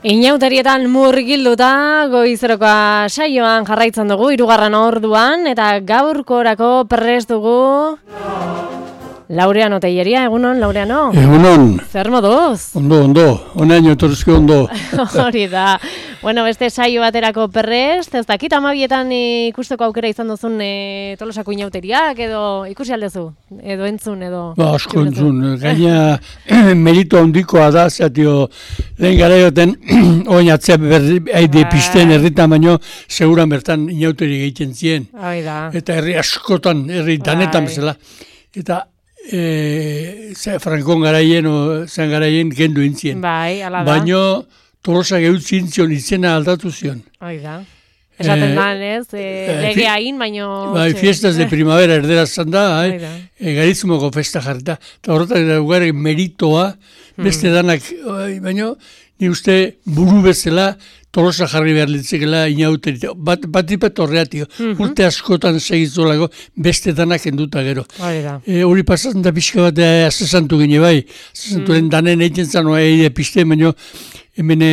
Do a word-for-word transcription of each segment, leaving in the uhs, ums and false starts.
Inauterietan murgilduta goizerokoa saioan jarraitzen dugu hirugarren orduan eta gaurkorako prest dugu Laureano Telleria, egunon, Laureano? Egunon. Zer moduz? Ondo, ondo, onaino etorrizko ondo. Hori da. Bueno, beste saio baterako prest, ez dakit amabietan ikusteko aukera izan duzun e, Tolosako inauteriak, edo ikusi aldezu, edo entzun, edo... Ba, asko entzun, gaina merito handikoa da, zatio, lehen gara joten, oin atzea berri, haide pisten herritan baino, seguran bertan inauteri egiten zien. Hoi da. Eta herri askotan, herri danetan bezala. Eta E, Frankon garaien, o, zan garaien gendu intzien. Bai, ala da. Baina Tolosak eutzin zion, izena aldatu zion. Hoi da. Esaten e, da, ez, e, lege hain, baino... Bai, fiestas de primavera erderaz zan da, eh? e, garizumoko festa jarrita. Eta horretak da meritoa, beste hmm. danak, baina ni uste buru bezala, Tolosa jarri behar litzekela inauterita. Bat, bat ipet horreatio. Mm-hmm. Urte askotan segizolako beste danak enduta gero. E, hori pasatzen da pixka bat asesantu gine bai. Asesantu mm. danen egiten zanoa eide piste, baina hemen e,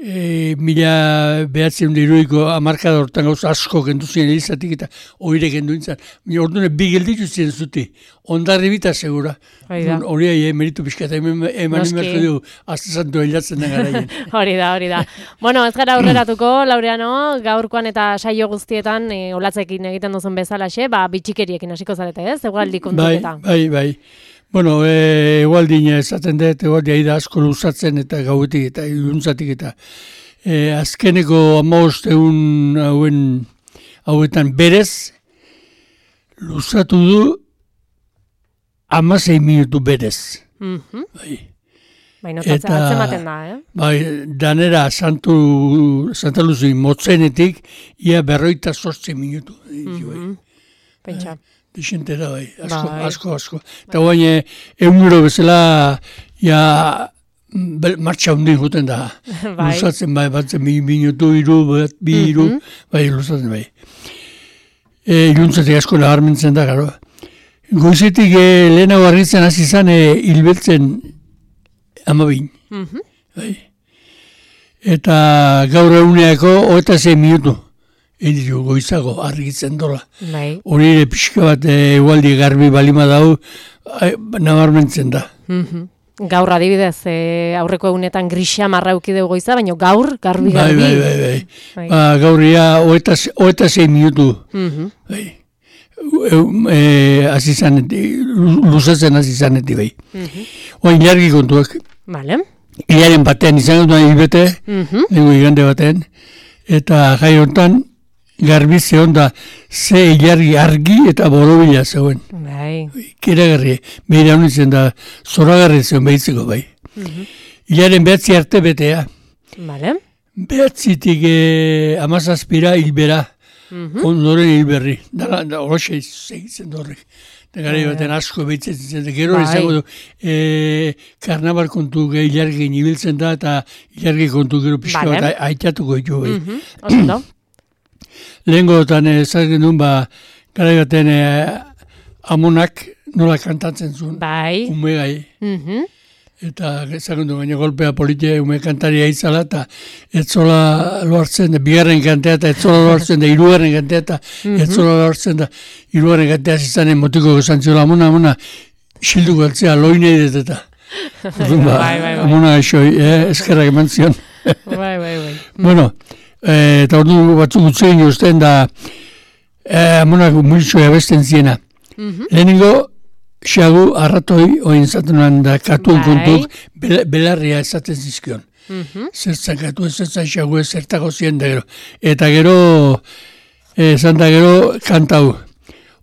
e, mila behatzen diruiko amarkada hortan gauza asko gendu ziren elizatik eta oire gendu intzan. Orduan bi gelditu ziren zuti. Ondarri bita segura. Hori ahi, meritu pixka eta eman imerko du asesantu hilatzen den garaien. Hori da, hori da. Bueno, ez gara aurreratuko, Laureano, gaurkoan eta saio guztietan e, olatzekin egiten duzun bezalaxe, ba, bitxikeriekin hasiko zarete, ez? Egualdi kontuketa. Bai, bai, bai. Bueno, e, egualdin esaten dut, egualdi aida asko luzatzen eta gauetik eta iluntzatik eta e, azkeneko amaost egun hauen, hauetan berez, luzatu du amasei minutu berez. Mm-hmm. Bai. Baina atzematen da, eh? Bai, danera Santu, Santa Luzi motzenetik, ia berroita sortzi minutu. Mm-hmm. Pentsa. Dixente da, bai, asko, bai. asko, asko. Eta guain, egunero bezala, ja, martxa hundin juten da. Bai. Luzatzen, bai, batzen bi minutu, iru, bat, bi, iru, mm-hmm. bai, luzatzen, bai. E, iluntzatik asko nabarmentzen da, garo. Goizetik e, lehenago arritzen hasi izan e, hilbeltzen amabin. Mm-hmm. Bai. Eta gaur eguneako hogeita sei minutu. Ediru goizago argitzen dola. Bai. Hori ere pixka bat egualdi garbi balima dau nabarmentzen da. Mm-hmm. Gaur adibidez, e, aurreko egunetan grisa marrauki dugu goiza, baina gaur garbi garbi. Bai, bai, bai. bai. Ba, gaur ia hogeita sei minutu. Mm-hmm. Bai. Azizanetik, luzatzen azizanetik bai. Mm-hmm. Oa ilargi kontuak. Vale. Ilaren batean, izan dut hilbete, mm-hmm. dugu igande batean, eta jai honetan, garbi zehon da, ze ilargi argi eta borobila zegoen. Bai. Keragarri, behira honitzen da, zoragarri zegoen behitzeko bai. Mm-hmm. Ilaren behatzi arte betea. Vale. Behatzitik eh, amazazpira hilbera. Mm-hmm. Ondoren hilberri. Da, da, horoxe segitzen horrek. Da gara baten asko behitzen zen. Gero bai. Izango du, e, karnabar kontu ilargin ibiltzen da, eta ilargi kontu gero pixka vale. Bat aitatuko ditu. Bai. Mm-hmm. Lehengotan ezagen duen, ba, gara baten e, amonak nola kantatzen zuen. Bai. Ume gai. Mm-hmm. Eta ezagun du, baina golpea politia ume kantaria izala, eta etzola loartzen da, bigarren kantea, eta etzola loartzen da, hirugarren kantea, eta etzola loartzen da, hirugarren kantea zizanen motiko gozantziola, amona, amona, xildu galtzea, loine edet eta. Ba, bai, bai, bai. Amona eixo, eh, eskerrak eman zion. Bai, bai, bai. Bueno, eh, eta ordu batzuk utzegin jozten da, eh, amonak multxoa besten ziena. Mm-hmm. Lehenengo, xagu arratoi oin zaten nuen da katuen kontuk belarria esaten zizkion. Mm-hmm. Zertzan katu ez zertzan xagu ez zertako zien da gero. Eta gero, esan da gero kantau.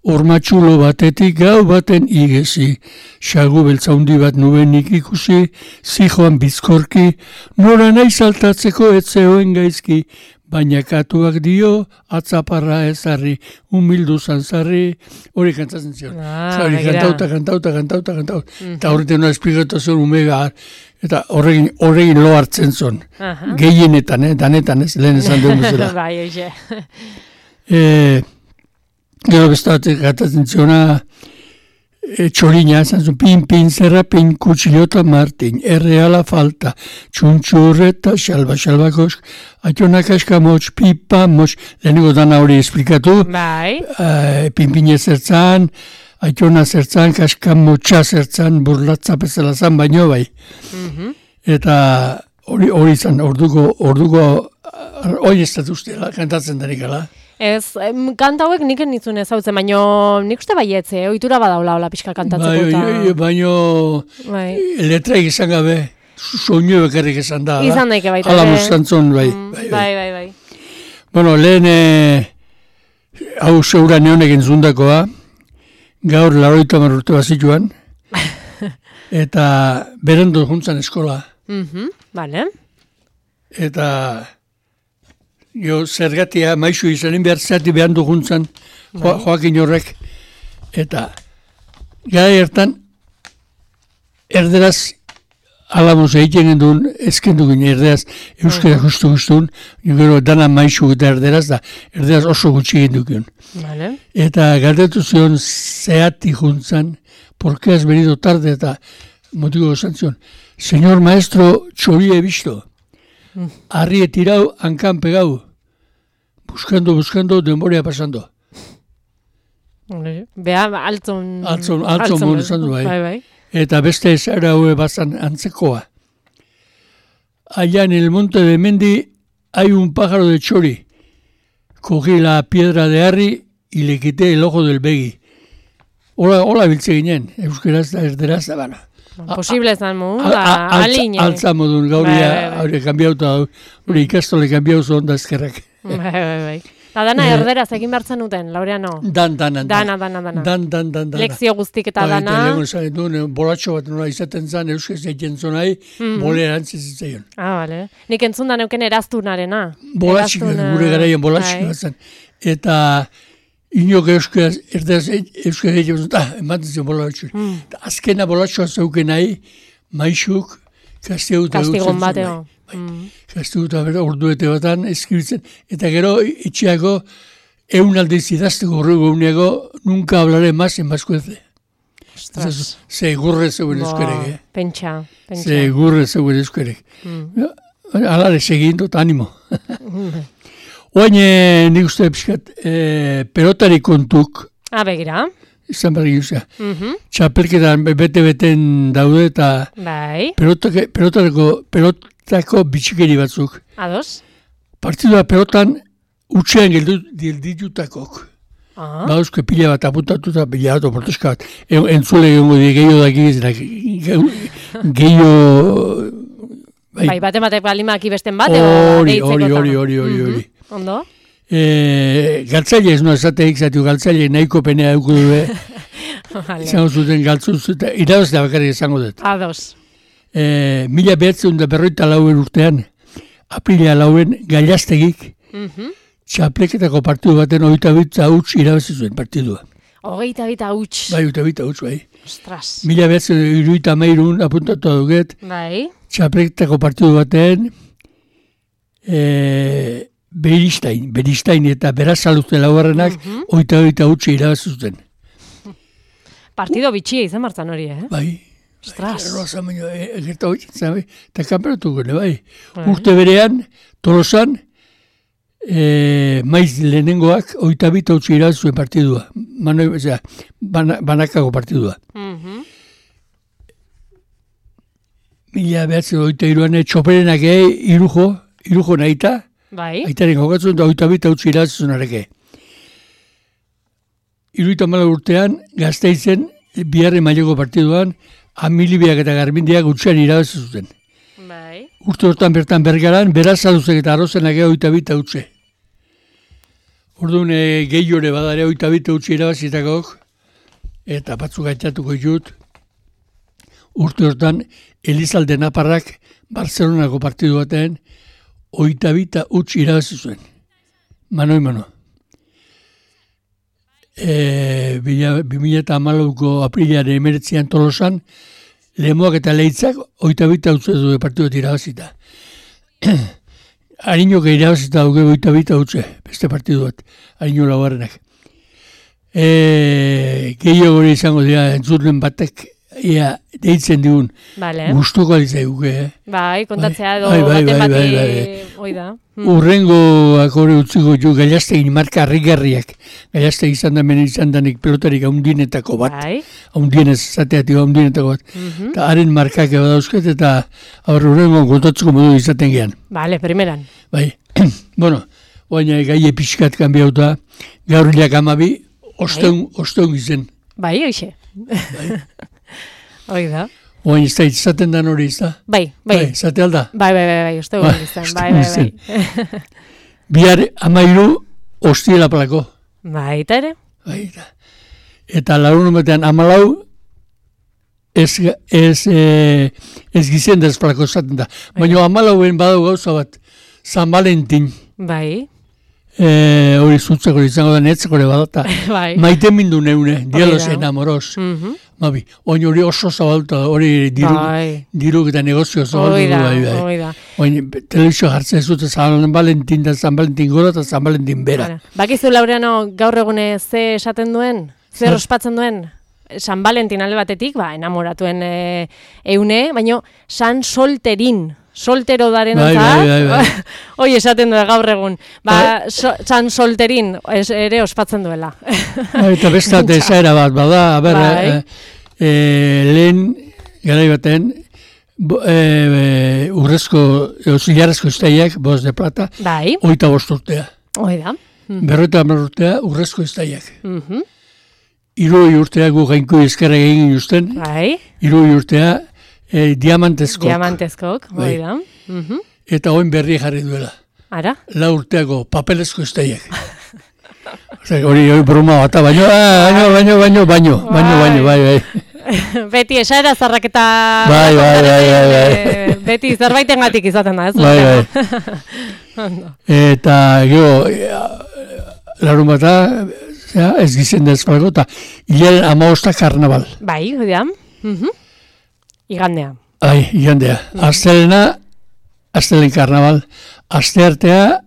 Ormatxulo batetik gau baten igezi. Xagu beltzaundi bat nubenik ikusi, zijoan bizkorki, nora nahi saltatzeko etzeoen gaizki. Baina katuak dio, atzaparra ezarri, humildu zanzarri, hori kantatzen zion. Ah, hori kantauta, kantauta, kantauta, kantauta. Mm-hmm. Eta horretan nola esplikatu zion umega, eta horregin, horregin lo hartzen zon. Uh-huh. Gehienetan, eh, danetan ez, lehen esan dugu zela. Bai, oixe. E, gero bestatik kantatzen ziona, e, txorina, zan zuen, pin, pin, zerra, pin, kutsilota, martin, erreala falta, txuntxurreta, xalba, xalba, kosk, aitonak askamotx, pipa, motx, lehenengo dana hori esplikatu, bai. Uh, pin, pin zertzan, aitona zertzan, kaskamotxa zertzan, burlatza bezala zan, baino bai. Mhm. Eta hori hori zan, orduko, orduko, hori ez dut ustela, kantatzen denik, ala? Ez, em, kanta hauek nik enitzun ezautzen, baino nik uste baietze, ohitura badaula hola pixka kantatzeko eta... Bai, baino, bai. letraik izan gabe, soinu bekarrik izan da, ala? Izan daike baita. Ala ere. mustantzon, bai, Mm, bai, bai, bai, bai. Bueno, lehen, eh, hau zeura neonek entzundakoa, gaur laroita marrurte bazituan, eta berendo juntzan eskola. Mhm, bale. Eta jo, zergatia maizu izanen behar zati behan duguntzan, jo, Joakin horrek. Eta gara ertan, erderaz alamos egiten gendun, ezkendu gine erderaz, euskara justu guztun, gero dana maizu eta erderaz da, erderaz oso gutxi gendukion. Vale. Eta galdetu zion zehati juntzan, ¿por qué has venido tarde? Eta motibo esan zion, señor maestro, txori he visto. Arri he tirau, hankan pegau. Buscando, buscando, denborea pasando. Bea, altzon... Altzon, altzon bon esan du bai. Bai, bai. Eta beste zara hue bazan antzekoa. Allá en el monte de Mendi hay un pájaro de chori. Cogí la piedra de Arri y le quité el ojo del begi. Hola, hola biltze ginen, euskeraz da erderaz da bana. Posible zan mu, da, aline. Altza modun, gauria, hori kanbiauta, hori ikastole kanbiauzu onda ezkerrak. Bai, bai, bai. Ta dana erderaz egin bertzen duten, Laureano. Dan, dan, dan. Dana, dana, dana. Dan, dan, dan, dan. Lekzio guztik eta Bai, dana. Eta lehenko esan duen, bolatxo bat nola izaten zan, euskez egiten zonai, bole erantzez zitzaion. Ah, bale. Nik entzun da neuken eraztunarena. Bolatxik, gure garaien bolatxik bat zan. Eta inok euskaz, erderaz euskaz egiten zuen, ah, ematen zion bolatxik. Azkena bolatxoa zeuken nahi, maixuk, kastiguta Kastigon bateo. Kastiguta bera, orduete batan eskribitzen. Eta gero, itxiako, eun aldiz idazteko horrego uneago, nunca hablaré más en vascuence. Ostras. Segurre zeuen euskerek, eh? Pentsa, pentsa. Segurre zeuen euskerek. Alare, segindu, eta animo. Oain, nik uste pixkat, pelotari kontuk, Ah, begira. izan berri guzea. Mhm. Txapelketan bete-beten daude eta Bai. pelotake- pelotareko, pelotako bitxikeri batzuk. Ados. Partidua pelotan utxean gelditutakok. Ah. Ba, eusko pila bat apuntatuta, pila bat, oporteska bat. En, entzule gengo di gehiago daki, gehiago... Bai, bate batek balimaki besten bate. Hori, hori, hori, hori, hori, hori. Ondo? E, galtzaile ez noa esateik zatu, galtzaile nahiko penea dugu dube. Vale. Izango zuten galtzuz, eta irabaz da bakarrik izango dut. Ados. E, mila behatzen da berroita lauen urtean, aprila lauen gailaztegik, Mhm. txapleketako partidu baten oita bitza huts irabazi zuen partidua. Hogeita bita huts. Bai, oita bitza huts, bai. Ostras. Mila behatzen iruita mairun apuntatu duget, Bai. txapleketako partidu baten, e, Beristain, Beristain eta Berazaluzte laugarrenak Mhm. oita oita huts irabazi zuten. Partido bitxia izan martzan hori, eh? Bai. Ostras. Rosa baino, egerta hori, zabe, eta kanperatu gune, bai. Bai. Urte berean, Tolosan, e, maiz lehenengoak, oita bita utzi irabazi zuen partidua. Manoi, osea, bana, banakako partidua. Mhm. Mila behatzen oita iruan, txoperenak egi, irujo, irujo nahita, Bai. aitaren jokatzen da oita bita utzi irabazi zuen areke. Iruita mala urtean, Gasteizen, biharre maileko partiduan, Amilibiak eta Garbindiak utxean irabazi zuten. Bai. Urte hortan bertan Bergaran, Berazaluzek eta Arrozenak ega oita bita utxe. Orduan e, gehiore badare oita bita utxe irabazitakok, eta batzuk gaitatuko ditut. Urte hortan, Elizalde Naparrak, Barcelonako partidu batean, oita bita utxe irabazi zuen. Manoi mano. E, bi mila eta hamalauko aprilaren emeretzian Tolosan, Lemoak eta Leitzak oita bita utze du partiduet irabazita. Harinok irabazita dugu oita bita utze, beste partiduet, harino laugarrenak. E, gehiago hori izango dira, entzuten batek, ia, deitzen digun, vale. gustuko alizaiuke, eh? Bai, kontatzea edo bai, bai, baten bai, bati, bai, bai. hoi da. Mm. Urrengoak hori utziko ju, Gallastegin marka harrigarriak. Gallastegin izan da meni izan danik pelotarik haundinetako bat. Bai. Haundienez, zateatik haundinetako bat. Mhm. Eta haren markak eba dauzket, eta aurre urrengo kontatzeko modu izaten gehan. Vale, primeran. Bai, bueno, oaina gai epizkat kanbiauta, gaur hilak amabi, osteun, osteun izen. Bai, hoxe. Bai. Hoi da. Oain ez da izaten dan hori izta. Bai, bai. Bai, zate alda. Bai, bai, bai, bai, uste Bai, gure izan. uste Bai, bai, bai. izen. Bihar amairu ostiela plako. Bai, eta ere? Bai, eta, eta larun hometean amalau ez, ez, e, ez gizien dezplako zaten da. Baina amalauen badau gauza bat, San Valentin. Bai. E, hori zutzeko izango da netzeko badata. Bai. Maite mindu neune, dielos enamoros. Mhm. Mabi, oin hori oso zabalta, hori diru, Bai. diru eta negozio zabaltu Hoi du. da, Bai, bai. hoi da. Oin telebizio jartzen zute San Valentin da San Valentin gora eta San Valentin bera. Bara. Bakizu, Laureano, gaur egune ze esaten duen? Zer Zer? ospatzen duen? San Valentin alde batetik, ba, enamoratuen e, eune, baino San Solterin. Soltero daren Bai, bai, bai, bai. Hoi esaten du gaur egun. Ba, Bai. so, San Solterin es, ere ospatzen duela. Bai, eta bestat esaera bat, bada, a ber, Bai. e, e, lehen, garai baten, bo, e, e, urrezko, zilarrezko iztaiak, boz de plata, Bai, oita bost urtea. hoi da. Mm. Berroita hamar urtea, urrezko iztaiak. Mhm. Iroi urtea gu gainku ezkerra egin justen, Bai, iroi urtea, e, diamantezko. diamantezkok, hoi Bai. da. Mhm. Eta oin berri jarri duela. Ara? La urteako papelezko iztaiak. Osea, hori hori broma bata, baino, ah, baino, baino, baino, baino, baino, baino, bai, bai. Beti esaera zarrak eta... Bai, bai, bai, bai, bai. Eh, Beti zerbaitengatik izaten da, ez? Bai, Laureano? Ondo. Eta, gero, larun bata, ja, ez gizen dezpalgo, eta hilaren amaosta karnaval. Bai, hoi da. Mhm. Igandea. Ai, igandea. Astelena, astelen karnaval. Asteartea,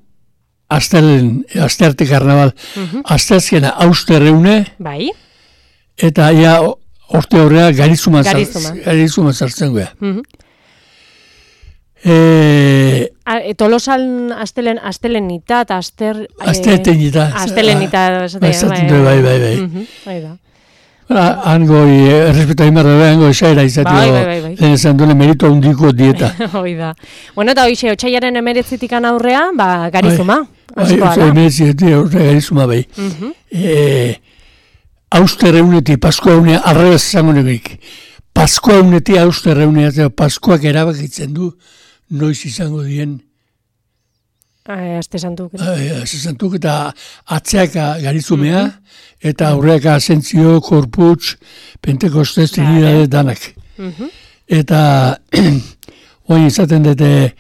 astelen, astearte karnaval. Mhm. Asteazkena, austerreune, Bai. eta ia orte horrea garizuma, Garizuma. garizuma sartzen goea. Mhm. E, A, e, Tolosan astelen, astelenita eta aster... eh, Astelenita. Astelenita, esaten, Esaten du, bai, bai, bai. Mhm, hoi da. Hango, errespeto hain barra, hango esaera izatio, Bai, bai, bai, bai. lehen esan duen merito handiko dieta. Hoi da. Bueno, eta hoxe, otxaiaren emeretzitikan aurrea, ba, garizuma. Bai, Askoa oso da. emeretzi, horre garizuma bai. Mhm. E, austerreuneti, Paskoa unea, arrebez izango negik. Paskoa uneti, austerreunea, eta Paskoak erabakitzen du, noiz izango dien, Eh, Aste santuk. zesantuk, eta atzeaka garizumea, eta aurreaka asentzio, korputz, pentekostez, trinidade, danak. Mhm. Eta, oin izaten dute,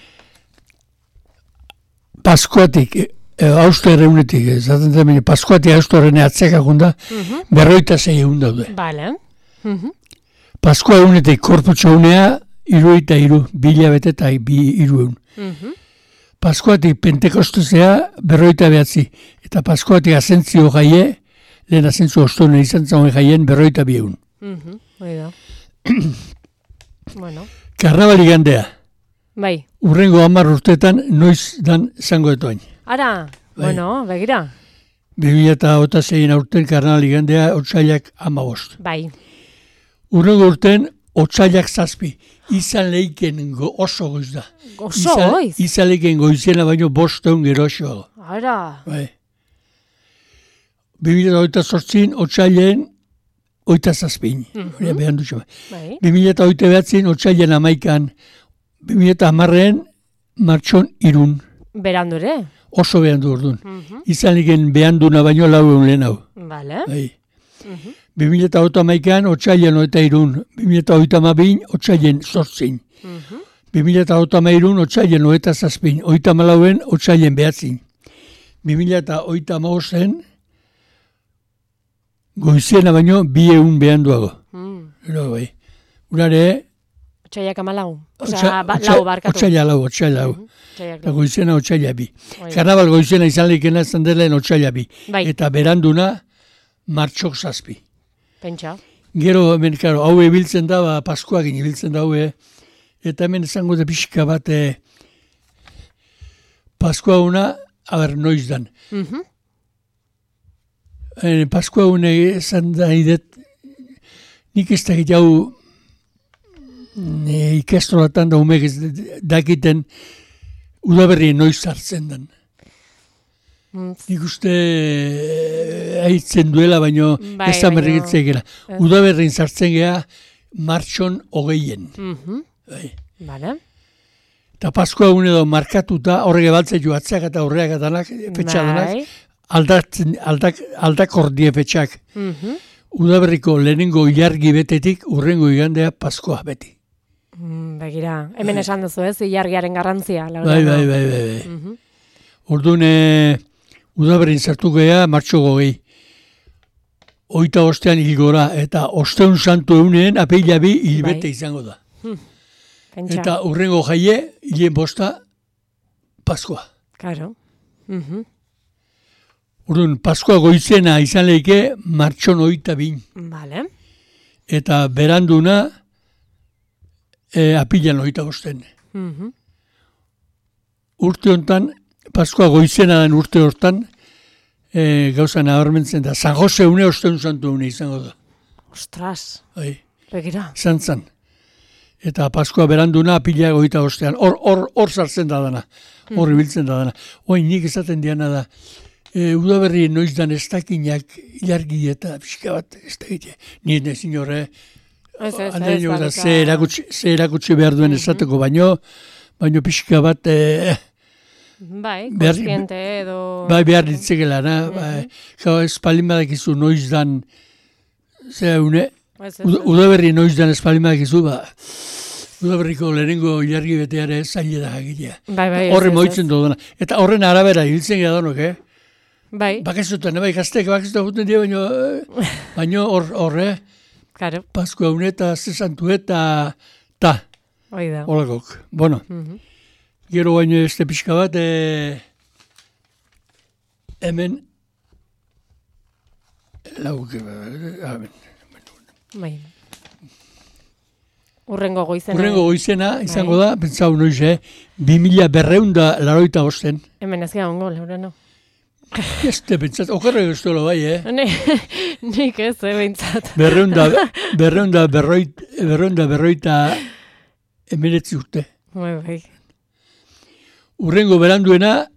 Paskoatik, e, austerreunetik, izaten dute, Paskoatik austerreunea atzeaka gunda, Mhm. berroita zei egun daude. Bale. Mhm. Paskoa egunetik korputxo unea, iruita iru, bila bete eta bi iru egun. Mhm. Paskoatik pentekostezea berroita behatzi, eta Paskoatik asentzio jaie, lehen asentzio ostone izan zauen jaien berroita bi egun. Mhm. Hoi da. Bueno. Karnabal igandea, Bai. urrengo hamar urteetan noiz dan zango etoain. Ara, Bai. bueno, begira. bi mila eta zein aurten karnabal igandea, otsailak amabost. Bai. Urrengo urten, otsailak zazpi, izan leiken go, oso goiz da. Oso Izan- goiz. Izan leiken goizena baino bosteun geroxoago. Ara. Bai. bi mila eta zortzin, otsailen, oita zazpin. Hori behan dutxo. Bai. bi mila eta oita behatzin, otsailen amaikan, bi mila eta hamarren, martxon irun. Berandu ere. Oso behan du orduan. Mhm. Izan leiken behan duna baino lau egun lehen hau. Bale. Bai. Mhm. bi mila eta oita amaikan, otsailen oita irun. bi mila eta oita amabin, otsailen zortzin. Mhm. bi mila eta oita amairun, otsailen oita zazpin. Oita amalauen, otsailen behatzin. bi mila eta oita amaozen, goiziena baino, bi egun behan duago. Mm. Ero, bai. Urare, Otsaiak amalau. otsa- Osea, ba, otsa- lau barkatu. otsaila lau, otsaila lau. Mhm. Otsaiak Eta lau. goizena otsaila bi. Hoi da. Karnabal goizena izan leikena izan dela otsaila bi. Bai. Eta beranduna, martxok zazpi. Pentsa. Gero, hemen, karo, hau ebiltzen da, ba, Paskuakin ibiltzen da, haue, eta hemen esango da pixka bat, e, Paskua una, haber, noiz dan. Mhm. E, Paskua une esan da, idet, nik ez da jau e, ikastolatan da umek ez dakiten udaberri noiz hartzen den. Mm. Nik uste haitzen duela, baino Bai, ez da baino- merrikitzea gera. Udaberrin sartzen gea martxon hogeien. Mhm. Bai. Vale. Eta Paskua une edo markatuta, horrege baltze joatzeak eta horreak etanak, fetxadanak, Bai. aldatzen, aldak, aldakor die fetxak. Mhm. Udaberriko lehenengo ilargi betetik urrengo igandea Paskoa beti. Mm, Begira, hemen esan duzu ez, ilargiaren garrantzia. Bai, bai, bai, bai. bai. Mhm. Orduan, e, udaberrin sartu gea martxo gogei. Oita ostean hilgora, eta osteun santu euneen apeila bi hilbete Bai. izango da. Pentsa. Eta urrengo jaie, hilen bosta, Paskoa. Claro. Mhm. Orduan, Paskoa goizena izan leike martxon oita bin. Vale. Eta beranduna, e, apilan oita bosten. Mhm. Urte hontan, Paskoa goizena den urte hortan, e, gauza nabarmentzen da. San Jose une osteun santu une izango da. Ostras. Bai, Begira. izan zan. Eta Paskoa beranduna apila goita ostean. Hor, hor, hor sartzen da dana. Hor ibiltzen da dana. Oain nik esaten diana da. E, udaberri noiz dan ez dakinak ilargi eta pixka bat ez dakite. Ni ez nezin horre. Ez, ez, Andrein ez, da, badika- ze erakutsi, ze erakutsi behar duen esateko, baino, baino pixka bat, e, Bai, Behar- kontziente edo... bai behar ditzekela, na? Bai, jau, ez palin badakizu noiz dan, ze une, Ez, ez, Uda- ez. udaberri noiz dan ez palin badakizu, ba, udaberriko lehenengo ilargi beteare zaila da jakitea. Bai, bai, ez, Horre ez, moitzen ez. dudana. Eta horren arabera hiltzen gara danok, eh? Bai, Bakazutan, bai, gaztek, bakazutan guten dira, baino, eh, baino hor, horre, claro, Paskua une eta zesantu eta, ta, hoi da. holakok. Bueno, Mhm. gero baino este pixka bat, e, hemen, lauk, e, hemen, Bai. Urrengo goizena. urrengo goizena izango da, pentsau noiz, eh, bi mila berreunda laroita bosten. Hemen ez ongo, Laurano. Ez te pentsat, okerrek ez duela bai, eh? Ne, nik ez, eh, behintzat. Berreunda, berreunda, berroit, berreunda, berroita emeretzi urte. Bai, bai. Urrengo beranduena,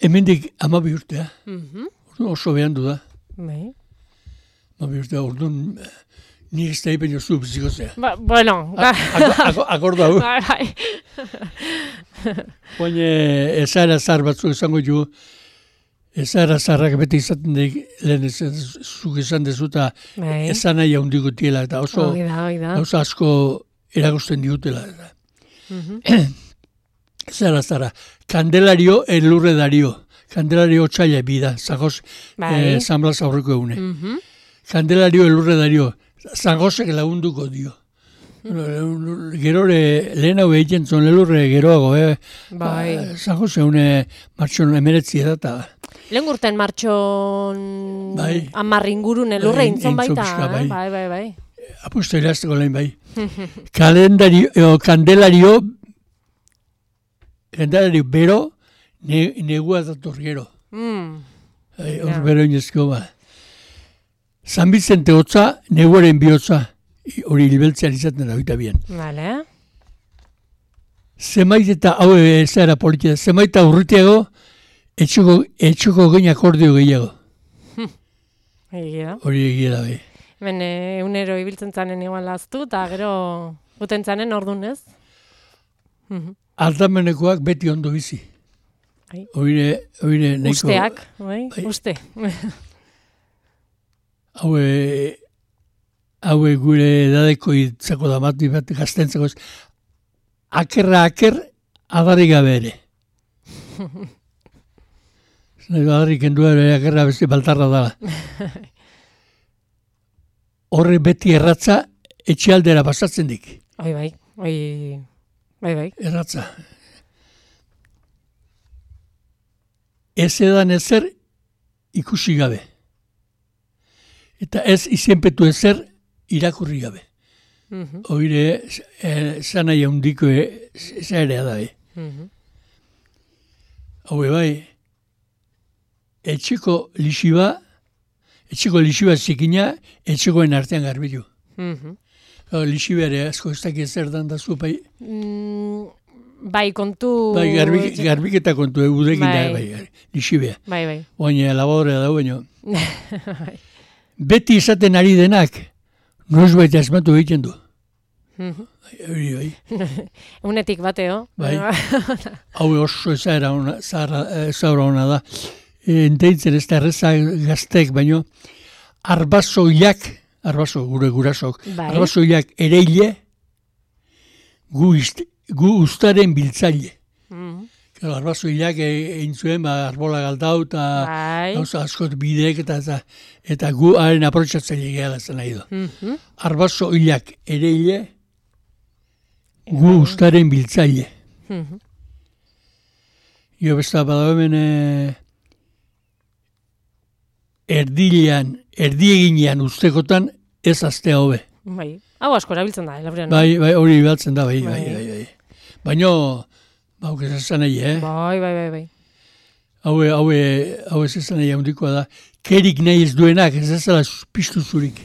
hemendik amabi urtea. Mhm. Orduan oso berandu da. Bai. Amabi urtea, orduan, eh, nik ez da ipen jozu biziko zea. Ba, bueno, A- ako- ako- Akorda hu. bai, bai. Baina ezara zar batzuk izango ju, ezara zarrak beti izaten dik, lehen ez zuk esan dezuta, Bai. esan nahi handiko tiela, eta oso, Hoi da, hoi da. oso asko erakusten digutela. Eta. Mhm. Zara, zara, Kandelario elurre dario. Kandelario txaila bida, zagoz, Bai. eh, San Blas aurreko egune. Mhm. Kandelario elurre dario, zagozek lagunduko dio. Gerore, lehen hau egiten zuen elurre geroago, eh? Bai. Zagoz egune martxon emeretzi edata. Lehen urten martxon Bai. amarr ingurun elurre Bai, intzon intzon baita. pixka, bai. eh? Bai, bai, bai. Apusto irazteko lehen bai. Kalendario, o, Kandelario, Kandelario bero, ne, negua dator gero. Mm. Ai, hor Ja. bero inezko ba. San Bizente hotza, neguaren bihotza, I- hori hilbeltzean izaten da, oita bien. Vale. Zemait eta, hau ez era politia, zemait eta urritiago, etxoko, etxoko gein akordio gehiago. Egia. Hori egia da, bai. Hemen eh, egunero ibiltzen zanen igual aztu, eta gero guten zanen ordun ez. Mhm. Aldamenekoak beti ondo bizi. Bai. Oire, oire, nahiko... Usteak, bai, Bai. uste. Haue, haue gure edadeko itzako da bat, bat gaztentzako ez. Akerra aker, adari gabe ere. Adari kendua ere akerra beste baltarra dala. Horre beti erratza etxealdera pasatzen dik. Oi, bai, oi, bai, bai. Erratza. Ez edan ezer ikusi gabe. eta ez izenpetu ezer irakurri gabe. Mhm. Oire, zana jaundiko zairea da, eh? Mhm. Haue bai, etxeko lixiba, etxeko lixiba zikina, etxekoen artean garbilu. Mhm. Lixibeare asko ez dakit zer dan da zu, bai, Mm, bai, kontu... bai garbik, garbiketa kontu egudekin da, Bai. bai, lixibea. Bai, bai. Oina laborea da, baina. Bai. Beti izaten ari denak, noiz baita esmatu egiten du. Mhm. Hori, bai. Unetik bateo. Bai. Hau oso ezaera ona, ezaura ona da. Enteitzen ez da erreza gaztek, baino arbazoiak, arbazo gure gurasok, Bai. arbazoiak ereile, gu, ist, gu ustaren biltzaile. Mhm. Claro, arbazoiak egin zuen, ba, arbola galdau, eta Bai. gauza askot bidek, eta, eta, eta gu haren aprotxatzaile gehala zen nahi du. Mhm. Arbazoiak ereile, gu ustaren biltzaile. Mhm. Jo besta badago hemen eh, erdilean, erdieginean ustekotan ez aztea hobe. Bai. Hau asko erabiltzen da, elabrian. Bai, bai, hori ibaltzen da, bai, bai, Bai. bai, bai. Baina, bauk ez esan nahi, eh? Bai, bai, bai, bai. Haue, haue, haue ez esan nahi handikoa da. Kerik nahi ez duenak, ez ezala piztu zurik.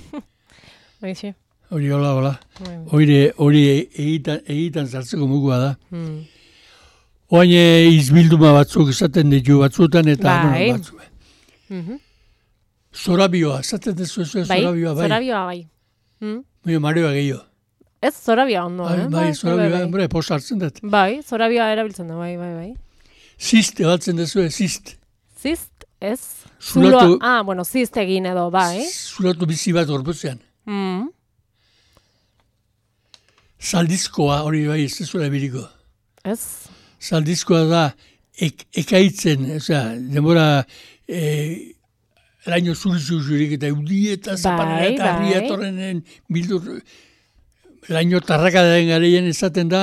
Bai, xe. Hori, hola, hola. Bai. Hori, hori egitan, egitan zartzeko mugua da. Mm. Oain izbilduma batzuk esaten ditu batzutan, eta Bai. bueno, batzuk. Mhm. Zorabioa, esaten dezu ez Bai, zorabioa, bai. zorabioa, bai. Mm. Baina marioa gehiago. Ez zorabioa ondo, Bai, eh? bai, zorabioa, bai, hombre, posa hartzen dut. bai, zorabioa erabiltzen da, bai, bai, bai. Zist, ebaltzen dezu, zist. Zist, ez? Zulatu- Zuloa- ah, bueno, zist egin edo, bai. Zulatu bizi bat gorputzean. Mm. Zaldizkoa, hori bai, ez dezuela biriko. Ez? Zaldizkoa da, ek, ekaitzen, osea, denbora, e, laino zurizu zurik, eta eudi eta zaparra Bai, eta harria bai. etorrenen bildur, laino tarraka den gareien esaten da,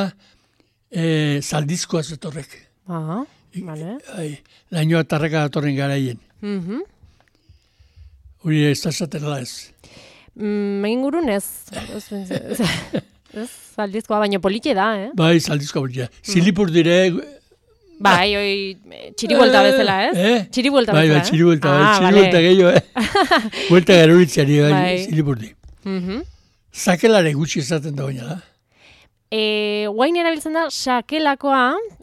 e, zaldizkoa zetorrek. Ah, vale. Ai, lainoa tarraka datorren garaien. Mhm. Hori ez da esatela ez. Mm, ingurun ez. Ez, ez, ez, zaldizkoa, baina polite da, eh? Bai, zaldizkoa bortia. Zilipur dire, Bai, oi, eh, txiribuelta bezala, ez? Eh? Txiribuelta bai, bezala, bai, txiribuelta, bai, Ah, txiribuelta vale. gehiago, eh? Buelta garuritzeari, bai, Bai. zilipur di. Mhm. Zakelare gutxi esaten da baina da. E, guain erabiltzen da sakelakoa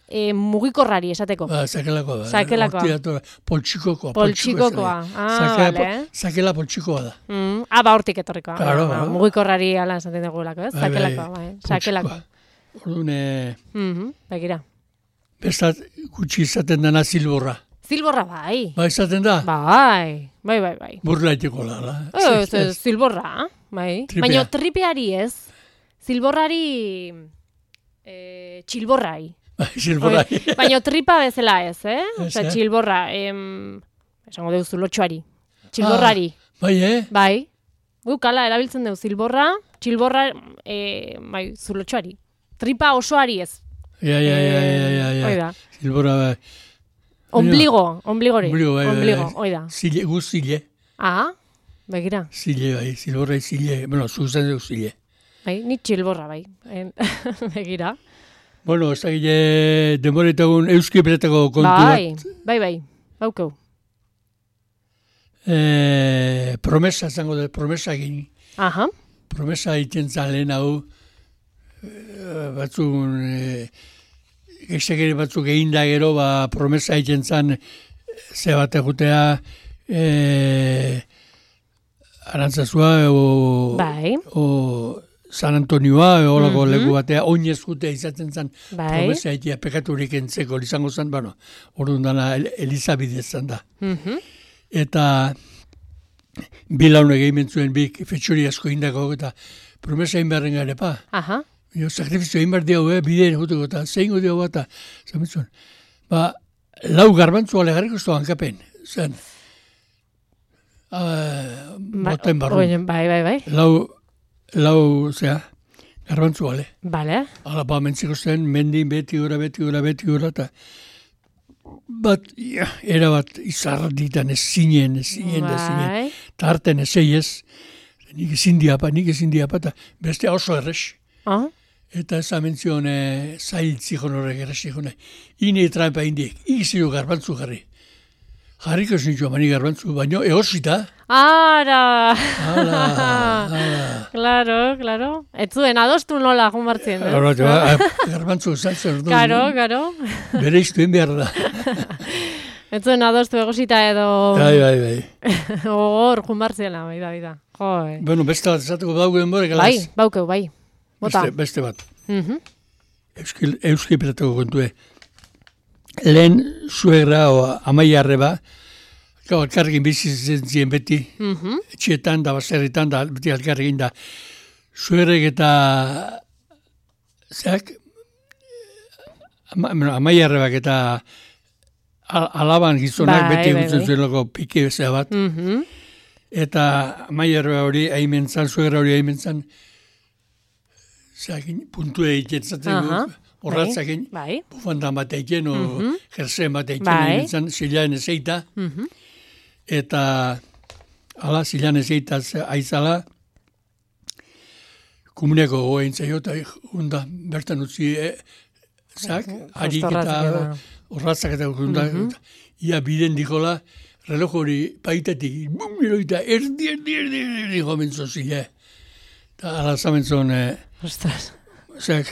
e, mugikorrari esateko. Ba, zakelakoa da. Zakelakoa. Hortik dator, poltsikokoa. Poltsikokoa. Ah, vale. Zakela poltsikoa da. Mm, ah, ba, hortik etorriko. Claro, ah, ba. mugikorrari ala esaten dugulako, ez? Bai, bai, Sakelakoa, bai. Sakelakoa. poltsikoa. Orduan, eh, Mhm, begira. bestat gutxi izaten dana zilborra. Zilborra bai. Ba, izaten da? Bai, bai, bai, bai. Burla iteko lala. Ez, ez, zilborra, bai. Tripea. Baina tripeari ez. Zilborrari e, txilborrai. Bai, zilborra. Baina tripa bezala ez, eh? Ez, Osea, eh? txilborra, em, esango dugu zulotxoari. Txilborrari, Bai, eh? bai. Gukala, erabiltzen dugu zilborra, txilborra, e, bai, zulotxoari. Tripa osoari ez. Ja, ja, ja, ja, ja, ja. Hoi da. Zilborra, bai. Ombligo, ombligori. Ombligo, bai, bai, Ombligo, bai. hoi da. Zile, gu zile. Ah, begira. Zile, bai, zilborra zile. Bueno, zuzen dugu zile. Bai, ni txilborra, bai. En- begira. Bueno, ez da gile, denboretagun euski beretako kontu Bai, bat. bai, bai. Baukeu. Eh, promesa, zango da, promesa egin. Aha. Promesa egiten zan lehen hau, eh, batzun, eh, gestekeri batzuk egin da gero, ba, promesa egiten zan, ze bat egutea, eh, Arantzazua, o, Bai. o San Antonioa, e, holako Mhm. leku batea, oinez jutea izaten zan, Bai. promesa egitea pekaturik entzeko, izango zan, bueno, orduan dana El- Elizabidez zan da. Mhm. Eta bi laune gehimen zuen bi fetxori asko indako, eta promesa egin beharren gare, pa. Aha. Jo, sakrifizio egin behar diau, eh, bideen juteko, eta zein diau bat, eta zamitzuen. Ba, lau garbantzua legarriko ez da hankapen, zen. Uh, boten barru. Bai, bai, bai, bai. Lau, lau, zea, garbantzua le. Bale. Hala, ba, mentziko zen, mendin beti gora, beti gora, beti gora, eta bat, ja, era bat izarditan ez zinen, ez zinen, ez zinen, eta harten ez ez, nik ezin diapa, nik ezin diapa, eta beste oso errez. Ah? Eta ez amentzion e, zailtzi honorek errezi jone. Ine trampa indiek, ikizio garbantzu jarri. Jarriko ez nintzua mani garbantzu, baino egosita. Ara! Hala, hala. Claro, claro. Ez zuen adostu nola junbartzen, eh? Ba, garbantzu zaltzen. Karo, karo. Bere iztuen behar da. Ez zuen adostu egosita edo... Bai, bai, bai. Hor junbartzela, bai da, bai da. Jo, eh. Bueno, beste bat esateko baugen borek, Bai, baukeu, bai. Bota. Beste, beste bat. Mhm. Euskil, Euskil piratako kontue. Lehen suegra o amaiarre ba, gau alkarrekin bizi zentzien beti, Mhm. etxietan da, baserritan da, beti alkarrekin da. Suegrek eta, zeak, ama, bueno, amaiarrebak eta al, alaban gizonak Bai, beti bai, gutzen bai. zuen loko pike bezea bat. Mhm. Eta amaiarreba hori haimen zan, suegra hori haimen zan, zeakin, puntu egitzatzen, Aha. horratzakin, Bai. bufandan bat eiken, o Mhm. jerzen bat eiken, Bai. haimen zan, zilean ezeita, Mhm. eta ala, zilean ezeita aizala, komuneko goein zaio, eta hunda, bertan utzi, e, zak, harik eta horratzak eta hunda, ia biden dikola, reloj hori paitatik, bum, eroita, erdi, erdi, erdi, erdi, gomentzo zile. Eta ala zamentzon, e, Ostras. zak,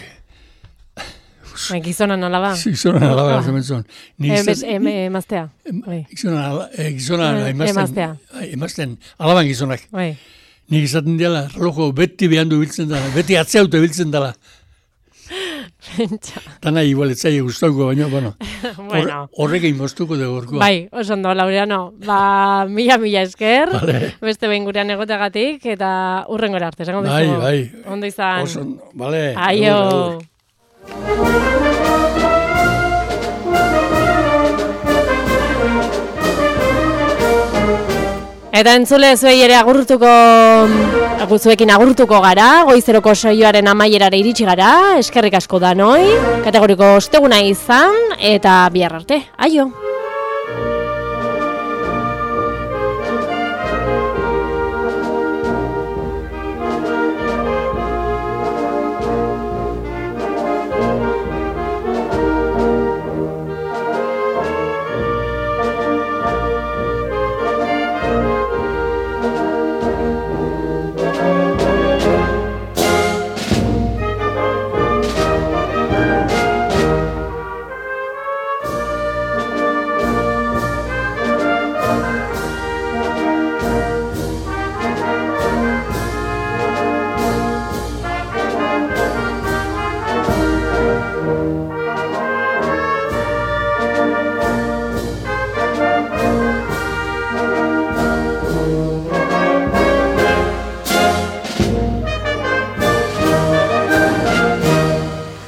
Bai, gizonan alaba. gizonan alaba zamentzon. Emez, emaztea. Bai. Gizonan, e, gizonan, Eh, emazten, emaztea. bai, emazten, alaban gizonak. Bai. Nik izaten dela, relojo beti behandu biltzen dela, beti atzeauto biltzen dela. Pentsa. Tana igual etzaile guztauko, baina, bueno, Bueno. horrekin moztuko de gorkoa. Bai, oso ondo, Laureano. Ba, mila, mila esker. Vale. Beste behin gurean egoteagatik, eta urrengora arte. Esango Bai, dizugu. bai. Ondo izan. Oso ondo, bale. Aio. Agur, agur. Eta entzule zuei ere agurtuko, zuekin agurtuko gara, goizeroko saioaren amaierara iritsi gara, eskerrik asko da noi, kategoriko osteguna izan, eta bihar arte, aio!